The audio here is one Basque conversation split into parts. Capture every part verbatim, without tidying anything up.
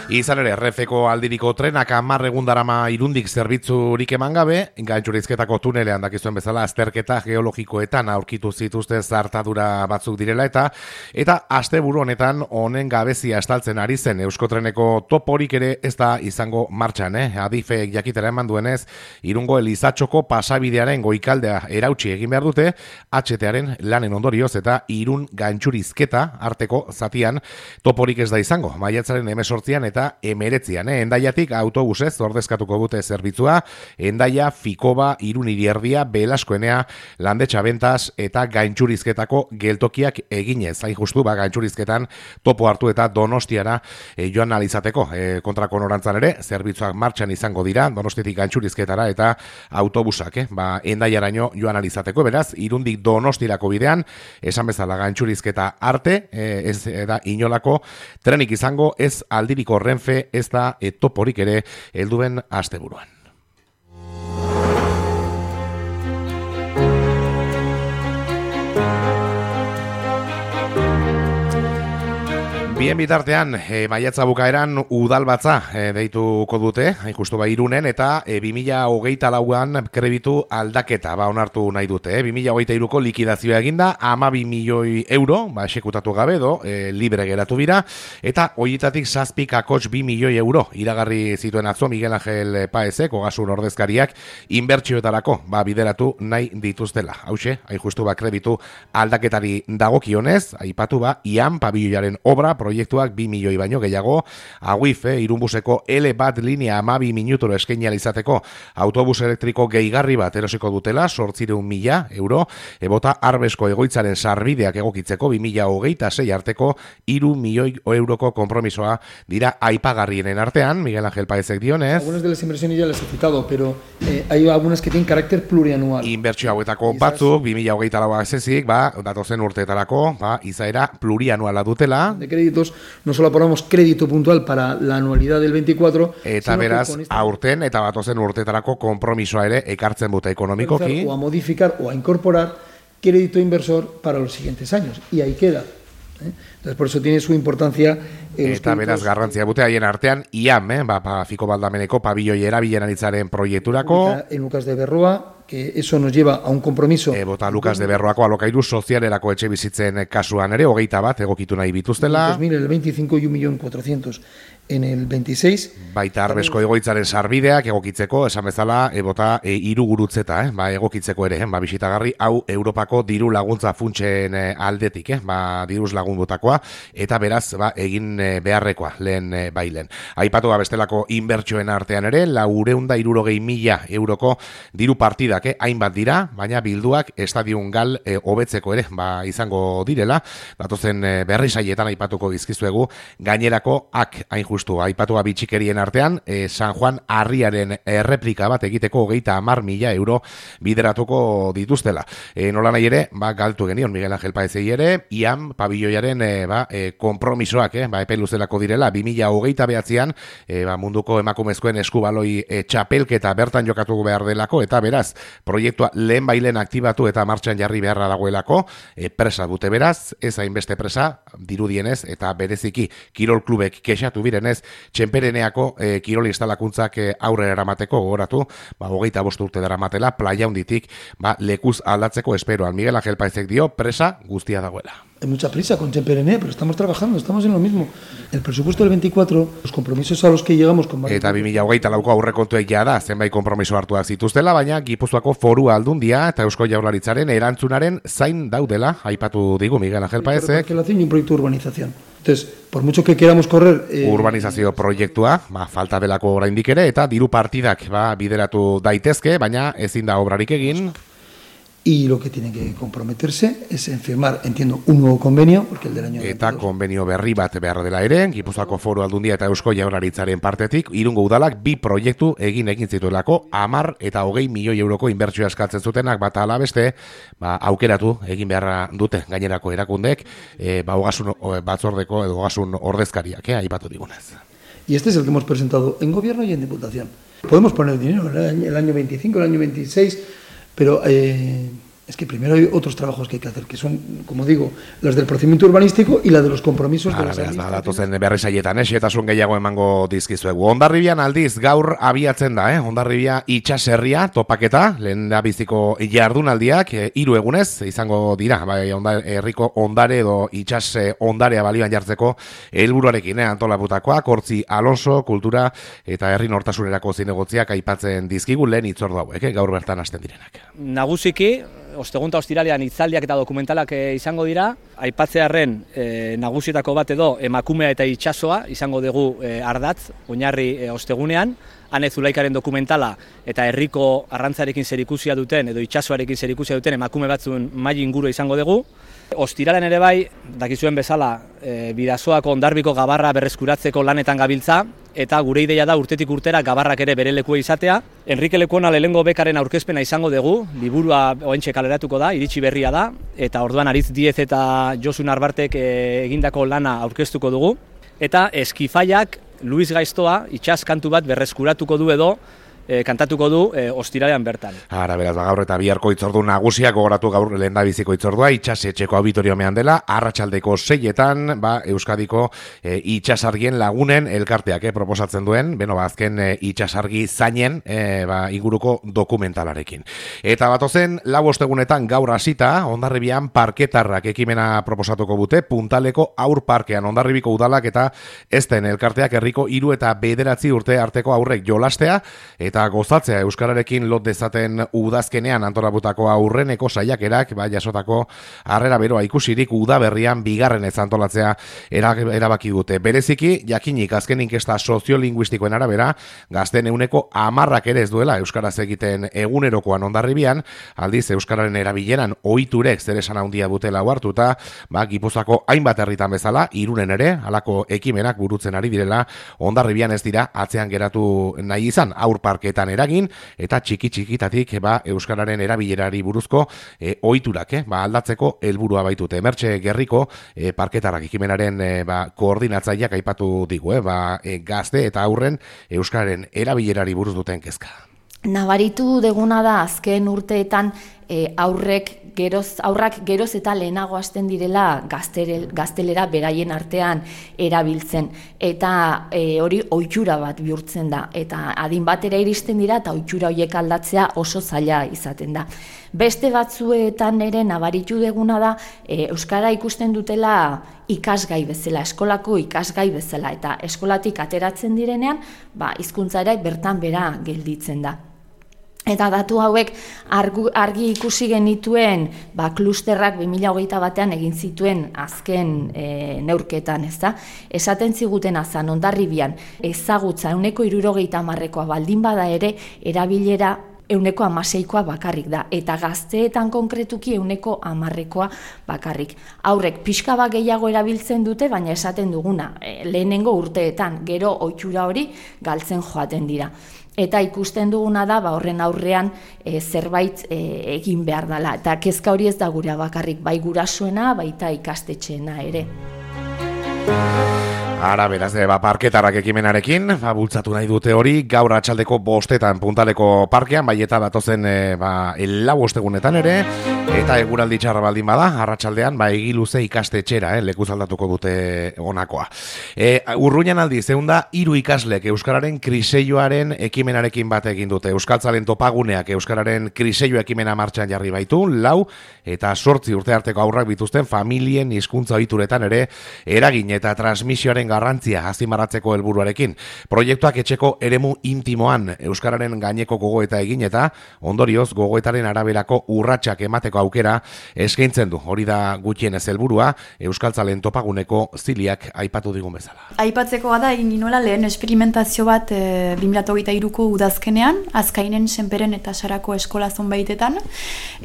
Izan ere, Renfeko aldiriko trenak hamar egun darama Irundik zerbitzurik eman gabe, Gaintxurizketako tunelean dakizuen bezala azterketa geologikoetan aurkitu zituzten zartadura batzuk direla eta eta asteburu honetan honen gabezia estaltzen ari zen Euskotreneko toporik ere ez da izango martxan, eh? Adifek jakitera eman duenez, Irungo Elizatxoko pasabidearen goikaldea erautsi egin behar dute, H T-aren lanen ondorioz eta Irun Gaintxurizketa arteko zatian toporik ez da izango, maiatzaren emesortzian eta emeretzian, eh? Endaiatik autobusez ordezkatuko dute zerbitzua, Endaia, Fikoba, Irun Irierdia, Belaskoenea, Landetxa Bentas eta Gaintxurizketako geltokiak eginez. Hain justu, ba, Gaintxurizketan topo hartu eta Donostiara e, joan alizateko. E, kontrako norantzan ere, zerbitzuak martxan izango dira, Donostiatik Gaintxurizketara eta autobusak, eh? Ba, Endaiaraino joan alizateko, beraz, Irundik Donostirako bidean, esan bezala Gaintxurizketa arte, e, ez da inolako trenik izango, ez aldiriko Renfe ez da e, toporik ere helduen asteburuan. Bien bitartean, e, maiatza bukaeran udalbatza e, deituko dute, hain justu ba Irunen, eta e, bi mila hogeita lauan kreditu aldaketa ba onartu nahi dute. E, bi mila hogeita hiruko likidazioa eginda, hamabi milioi euro, ba esekutatu gabe do, e, libre geratu bira, eta horietatik zazpi kakotx bi milioi euro iragarri zituen atzo Miguel Angel Paezek, Ogasun ordezkariak, inbertsioetarako ba bideratu nahi dituztela. Hauxe, hain justu ba kreditu aldaketari dagokionez, aipatu ba Ian pabilloiaren obra proiektuak bi milioi baino gehiago, Aguif, eh, Irunbuseko L bat linea hamabi minuturo eskaini izateko autobus elektriko gehigarri bat erosiko dutela, zortziehun mila euro, ebota Arbesko egoitzaren sarbideak egokitzeko bi mila hogeita sei arteko hiru milioi euroko konpromisoa dira aipagarrienen artean, Miguel Angel Paezek dionez. Algunas de las inversiones ya las he citado, pero eh, hay algunas que tienen carácter plurianual. Inbertsio hauetako batzuk, bi mila hogeita lau ezezik, ba, datozen urteetarako, ba, izaera plurianuala dutela. De créditos, no solo ponemos crédito puntual para la anualidad del veinticuatro, eta beraz, esta... aurten eta batozen urteetarako konpromisoa ere ekartzen dute ekonomikoki. O a modificar o a incorporar crédito inversor para los siguientes años. Y ahí queda. ¿eh? Entonces, por eso tiene su importancia. Eh, eta beraz, garrantzia bute haien artean, I A M, eh, ba, pa, Fiko Baldameneko pabilloi erabilen aritzaren proiekturako. En Lucas de Berroa, que eso nos lleva a un compromiso. E, bota Lucas de Berroako alokairu sozialerako etxe bizitzen kasuan ere, hogeita bat egokitu nahi bituztela. dos mil, el veinticinco y un millón cuatrocientos en el veintiséis. Baita Arbesko egoitzaren sarbideak egokitzeko, esan bezala, e, bota e, hiru gurutzeta, eh, ba, egokitzeko ere, eh, ba, bisitagarri, hau Europako diru laguntza funtsen eh, aldetik, eh, ba, diruz lagunbutakoa, eta beraz, ba, egin eh, beharrekoa, lehen eh, bailen. Aipatu ba, bestelako inbertsioen artean ere, laureunda irurogei mila euroko diru partida Eh, hainbat dira, baina bilduak estadion gal eh, hobetzeko ere ba, izango direla, datozen eh, berri saietan aipatuko dizkizuegu, gainerako ak hain justu, aipatua bitxikerien artean, eh, San Juan Arriaren erreplika bat egiteko hogeita hamar mila euro bideratuko dituztela. Eh, nola nahi ere, ba, galtu genion Miguel Angel Paezei ere, Ian pabilloiaren eh, ba, eh, konpromisoak, eh, ba, epe luzelako direla, bi mila hogeita behatzean, eh, ba, munduko emakumezkoen eskubaloi eh, txapelketa bertan jokatu behar delako, eta beraz, proiektua lehen bailen aktibatu eta martxan jarri beharra dagoelako, e, presa dute beraz, ez hainbeste presa, dirudienez, eta bereziki kirol klubek kexatu birenez, txenpereneako e, kirol instalakuntzak e, aurrera eramateko gogoratu, ba, hogeita bost urte daramatela, playa hunditik, ba, lekuz aldatzeko esperoan. Miguel Angel Paezek dio, presa guztia dagoela. Hay mucha prisa con Txenperene, pero estamos trabajando, estamos en lo mismo. El presupuesto del veinticuatro, los compromisos a los que llegamos con... Eta bi mila hogeita lauko aurrekontuek ja da, zenbait konpromiso hartuak zituztela, baina Gipuzkoako Foru Aldundia eta Eusko Jaurlaritzaren erantzunaren zain daudela, aipatu digu Miguel Angel Paezek. Y un proyecto de urbanización. Entonces, por mucho que queramos correr... Eh... Urbanizazio proiektua, ba, falta delako oraindik ere, eta diru partidak ba, bideratu daitezke, baina ezin da obrarik egin. Y lo que tienen que comprometerse es en firmar, entiendo, un nuevo convenio, porque el del año eta konbenio berri bat behar dela ere, Gipuzkoako Foru Aldundia eta Eusko Jaurlaritzaren partetik, Irungo udalak bi proiektu egin egin zituelako, hamar eta hogei milioi euroko inbertsioa eskatzen zutenak, bata ala beste, ba, aukeratu egin beharra dute gainerako erakundek, e, ba, ogasun batzordeko edo ogasun ordezkariak, eh, aipatu digunez. Y este es el que hemos presentado en gobierno y en diputación. Podemos poner dinero, el año veinticinco, el año veintiséis... Pero eh, Es que primero hay otros trabajos que hay que hacer, que son, como digo, los del procedimiento urbanístico y la de los compromisos de las administraciones. Datozen berri saietan, xehetasun gehiago emango dizkizuegu. Hondarribian aldiz gaur abiatzen da, eh? Hondarribia itxaserria topaketa, lehendabiziko jardunaldiak hiru egunez izango dira, bai, onda, herriko ondare edo itxas ondarea balioan jartzeko helburuarekin, eh? Antolaputakoak, Hortzi Alonso, kultura eta herri nortasunerako zinegotziak aipatzen dizkigu lehen hitzordu hauek, eh? Gaur bertan hasten direnak. Nagusiki, ostegun eta ostiralean hitzaldiak eta dokumentalak e, izango dira, aipatzearren e, nagusietako bat edo emakumea eta itsasoa izango dugu e, ardatz, oinarri e, ostegunean, Ane Zulaikaren dokumentala eta herriko arrantzarekin zerikusia duten edo itsasoarekin zerikusia duten emakume batzuen maila inguru izango dugu. Ostiralean ere bai, dakizuen bezala, e, Bidasoako Hondarbiko gabarra berreskuratzeko lanetan gabiltza, eta gure ideia da urtetik urtera gabarrak ere bere lekua izatea. Enrique Lekuona lehengo bekaren aurkezpena izango dugu, liburua oentxe kaleratuko da, iritsi berria da, eta orduan Aritz Diez eta Josu Narbartek e, egindako lana aurkeztuko dugu. Eta Eskifaiak Luis Gaiztoa itsas kantu bat berreskuratuko du edo, E, kantatuko du e, ostiralean bertan. Ara, beraz, ba, gaur eta biharko itzordu nagusiak gogoratu gaur lehendabiziko itzordua, itxasetxeko auditoriomean dela, arratsaldeko seietan, ba, Euskadiko e, itxasargien lagunen elkarteak eh, proposatzen duen, beno, ba, azken e, itxasargi zainen e, ba, inguruko dokumentalarekin. Eta batozen, lau ostegunetan gaur hasita, Hondarribian parketarrak ekimena proposatuko dute, Puntaleko aur parkean, Hondarribiko udalak eta ezten elkarteak herriko hiru eta bederatzi urte arteko aurrek jolastea, eta gozatzea euskararekin lot dezaten udazkenean antolaputako aurreneko saiakerak, ba, jasotako harrera beroa ikusirik udaberrian bigarren ez antolatzea erabaki dute. Bereziki, jakinik azken inkesta soziolinguistikoen arabera, gazten euneko hamarrak ere ez duela euskaraz egiten egunerokoan Hondarribian, aldiz euskararen erabileran ohiturek zer esan handia dutela hartuta, ba, Gipuzkoako hainbat herritan bezala, Irunen ere, halako ekimenak burutzen ari direla, Hondarribian ez dira atzean geratu nahi izan, aur parke etan eragin, eta txiki-txikitatik ba, euskararen erabilerari buruzko e, ohiturak eh, ba, aldatzeko helburua baitute. Mertxe Gerriko e, parketarrak ekimenaren e, ba, koordinatzaileak aipatu digu, eh, ba, e, gazte eta aurren euskararen erabilerari buruz duten kezka. Nabaritu deguna da azken urteetan e, aurrek geroz, aurrak geroz eta lehenago hasten direla gaztere, gaztelera beraien artean erabiltzen. Eta e, hori ohitura bat bihurtzen da. Eta adin batera iristen dira eta ohitura horiek aldatzea oso zaila izaten da. Beste batzuetan ere nabaritu deguna da e, euskara ikusten dutela ikasgai bezala, eskolako ikasgai bezala. Eta eskolatik ateratzen direnean, ba, hizkuntza ere bertan bera gelditzen da. Eta datu hauek argu, argi ikusi genituen ba, klusterrak bi mila hogeita batean egin zituen azken e, neurketan, ez da? Esaten ziguten azan Hondarribian ezagutza ehuneko hirurogeita hamarrekoa baldin bada ere erabilera ehuneko hamaseikoa bakarrik da, eta gazteetan konkretuki ehuneko hamarrekoa bakarrik. Aurrek pixka bat gehiago erabiltzen dute, baina esaten duguna, e, lehenengo urteetan, gero ohitura hori galtzen joaten dira. Eta ikusten duguna da, ba, horren aurrean e, zerbait e, egin behar dela. Eta kezka hori ez da gura bakarrik, bai gurasoena, baita ikastetxeena ere. Ara, beraz, ba, parketarrak ekimenarekin, ba, bultzatu nahi dute hori, gaur atxaldeko bostetan Puntaleko parkean, bai eta datozen e, ba, lau ostegunetan ere, eta eguraldi txarra baldin bada, arratsaldean, ba, egiluze ikastetxera, eh, lekuz aldatuko dute honakoa. E, Urruñan aldiz, egun da, hiru ikaslek Euskararen kriseioaren ekimenarekin bat egin dute. Euskaltzalen topaguneak Euskararen kriseio ekimena martxan jarri baitu, lau, eta sortzi urte arteko aurrak bituzten familien hizkuntza ohituretan ere, eragin eta transmisioaren garrantzia azimaratzeko helburuarekin. Proiektuak etxeko eremu intimoan euskararen gaineko gogoeta egin eta ondorioz gogoetaren araberako urratsak emateko aukera eskaintzen du. Hori da gutxienez helburua Euskaltzalen topaguneko ziliak aipatu digun bezala. Aipatzekoa da egin ginoela lehen esperimentazio bat e, bi mila hogeita hiruko udazkenean, Azkainen, Senperen eta Sarako eskola zonbaitetan,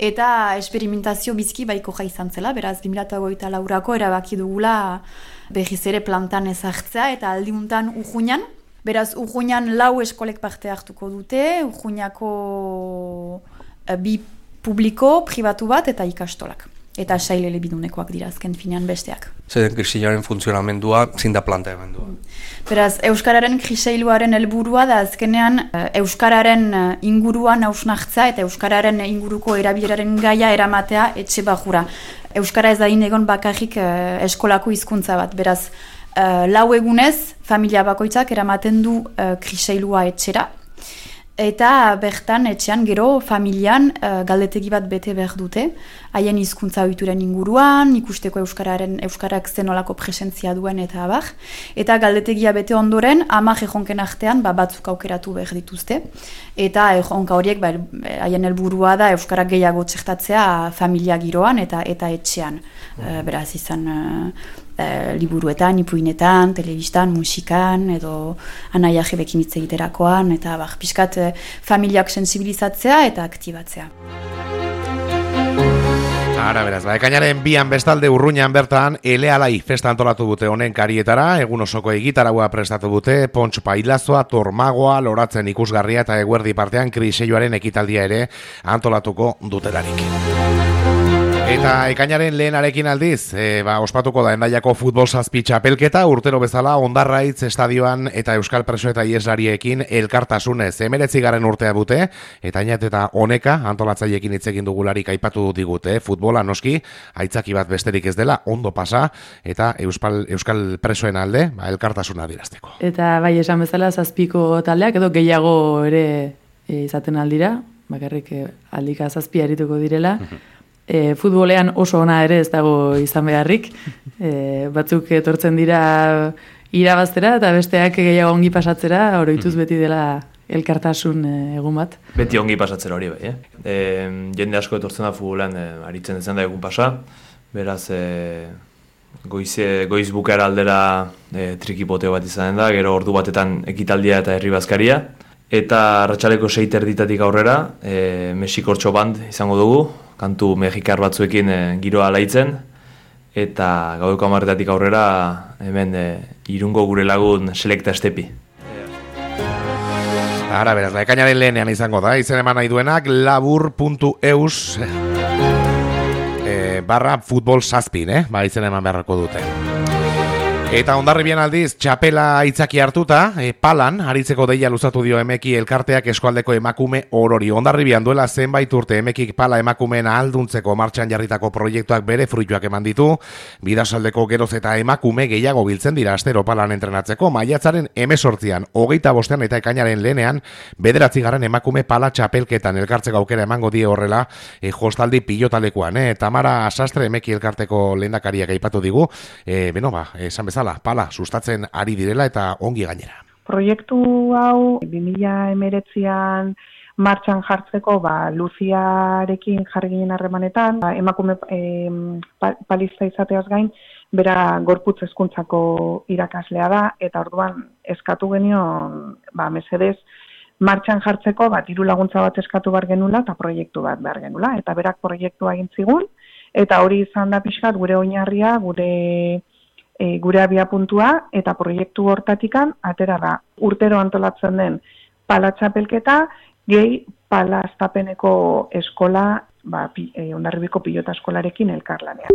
eta esperimentazio bizki baiko jai izan zela, beraz bi mila hogeita laurako erabaki dugula behiz ere plantan ezartzea eta aldiuntan Urruñan. Beraz, Urruñan lau eskolek parte hartuko dute, Urruñako bi publiko, pribatu bat eta ikastolak. eta sail elebidunekoak dira azken finean besteak. Zeren kriseiluaren funtzionamendua zin da planteamendua. Beraz, Euskararen kriseiluaren helburua da azkenean Euskararen inguruan hausnartza eta Euskararen inguruko erabileraren gaia eramatea etxe bajura. Euskara ez da egon bakarrik eskolako hizkuntza bat, beraz, lau egunez familia bakoitzak eramaten du kriseilua etxera, eta bertan etxean gero familian uh, galdetegi bat bete behar dute, haien hizkuntza ohituren inguruan, ikusteko euskararen euskarak zenolako presentzia duen eta abar, eta galdetegia bete ondoren ama erronken artean ba, batzuk aukeratu behar dituzte, eta erronka horiek ba, haien helburua da euskarak gehiago txertatzea familia giroan eta eta etxean. Uh, beraz izan uh, uh, liburuetan, ipuinetan, telebistan, musikan, edo anaia jebekin hitz egiterakoan, eta bar, pixkat uh, familiak sensibilizatzea eta aktibatzea. Ara, beraz, ba, ekainaren bian bestalde Urruñan bertan Elealai festa antolatu dute honen karietara, egun osoko egitaragua prestatu dute, Pontx Pailazoa, Tormagoa, loratzen ikusgarria eta eguerdi partean kriseioaren ekitaldia ere antolatuko dutelarik. Eta ekainaren lehenarekin aldiz, e, ba, ospatuko da Hendaiako futbol zazpi txapelketa, urtero bezala Hondarraitz estadioan eta Euskal Preso eta Ieslariekin elkartasunez emeretzi garen urtea dute, eta ainat eta honeka antolatzaiekin hitz egin dugularik aipatu digute, futbola noski, aitzaki bat besterik ez dela, ondo pasa, eta Euskal, Euskal Presoen alde, ba, elkartasuna dirazteko. Eta bai, esan bezala zazpiko taldeak, edo gehiago ere e, izaten aldira, bakarrik e, aldika zazpi arituko direla, E, futbolean oso ona ere ez dago izan beharrik, e, batzuk etortzen dira irabaztera eta besteak gehiago ongi pasatzera, oroituz beti dela elkartasun e, egun bat. Beti ongi pasatzera hori bai, eh? E, jende asko etortzen da futbolean e, aritzen dezen da egun pasa, beraz e, goize, goiz bukara aldera e, trikipoteo bat izanen da, gero ordu batetan ekitaldia eta herri bazkaria, eta arratsaleko sei erditatik aurrera e, Mexikortxo band izango dugu, kantu mexikar batzuekin e, giroa alaitzen, eta gaueko hamarretatik aurrera hemen e, Irungo gure lagun Selekta Estepi. Ara, beraz, ekainaren lehenean izango da, izen eman nahi duenak labur puntu eus e, barra futbol zazpin, eh? Ba, izen eman beharrako dute. Eta Hondarribian aldiz, txapela aitzaki hartuta, e, palan, aritzeko deia luzatu dio Emeki elkarteak eskualdeko emakume orori. Hondarribian duela zenbait urte Emekik pala emakumeen ahalduntzeko martxan jarritako proiektuak bere fruituak eman ditu, Bidasaldeko geroz eta emakume gehiago biltzen dira astero palan entrenatzeko, maiatzaren hemezortzian, hogeita bostean eta ekainaren lehenean, bederatzi garen emakume pala txapelketan elkartzeko aukera emango die horrela, e, jostaldi pilotalekoan, eh? Tamara Sastre Emeki elkarteko lehendakariak aipatu digu, e, beno ba, esan bezala, pala sustatzen ari direla eta ongi gainera. Proiektu hau bi mila hemeretzian martxan jartzeko ba, Luziarekin jarri ginen harremanetan, ba, emakume e, palista izateaz gain, bera gorputz hezkuntzako irakaslea da, eta orduan eskatu genion ba, mesedez martxan jartzeko ba, diru laguntza bat eskatu behar genula eta proiektu bat behar genula, eta berak proiektua egin zigun, eta hori izan da pixkat gure oinarria, gure E, gure abia puntua eta proiektu hortatikan atera da. Urtero antolatzen den pala txapelketa, gehi pala astapeneko eskola, ba, pi, e, Hondarribiko pilota eskolarekin elkarlanean.